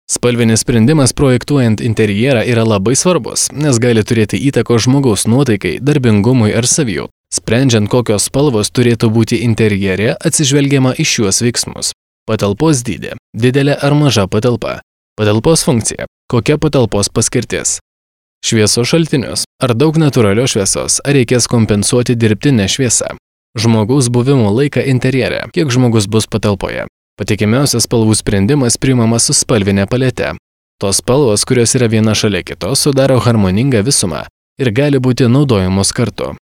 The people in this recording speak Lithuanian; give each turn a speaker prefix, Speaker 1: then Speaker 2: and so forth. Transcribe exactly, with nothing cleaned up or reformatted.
Speaker 1: Spalvinis sprendimas projektuojant interjerą yra labai svarbus, nes gali turėti įtakos žmogaus nuotaikai, darbingumui ar savijautai. Sprendžiant, kokios spalvos turėtų būti interjere, atsižvelgiama į šiuos veiksmus. Patalpos dydį. Didelė ar maža patalpa. Patalpos funkcija. Kokia patalpos paskirtis. Šviesos šaltinius. Ar daug natūralios šviesos, ar reikės kompensuoti dirbtinę šviesą. Žmogaus buvimo laiką interjere. Kiek žmogus bus patalpoje. Patikimiausias spalvų sprendimas priimamas su spalvinė palete. Tos spalvos, kurios yra viena šalia kitos, sudaro harmoningą visumą ir gali būti naudojamos kartu.